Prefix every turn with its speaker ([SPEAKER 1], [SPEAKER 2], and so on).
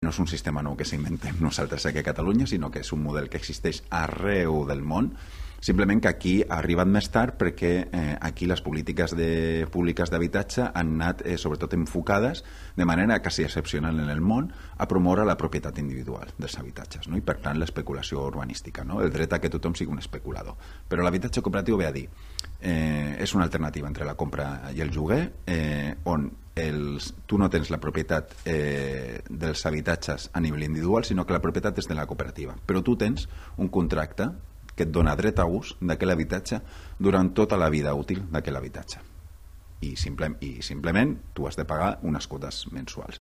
[SPEAKER 1] No és un sistema nou que s'inventem nosaltres aquí a Catalunya, sinó que és un model que existeix arreu del món, simplement que aquí ha arribat més tard perquè aquí les polítiques públiques d'habitatge han anat sobretot enfocades de manera quasi excepcional en el món a promoure la propietat individual dels habitatges, no? I per tant l'especulació urbanística, no? El dret a que tothom sigui un especulador. Però l'habitatge cooperatiu ve a dir és una alternativa entre la compra i el lloguer on tu no tens la propietat dels habitatges a nivell individual, sinó que la propietat és de la cooperativa, però tu tens un contracte que et dona dret a ús d'aquell habitatge durant tota la vida útil d'aquell habitatge i simplement tu has de pagar unes quotes mensuals.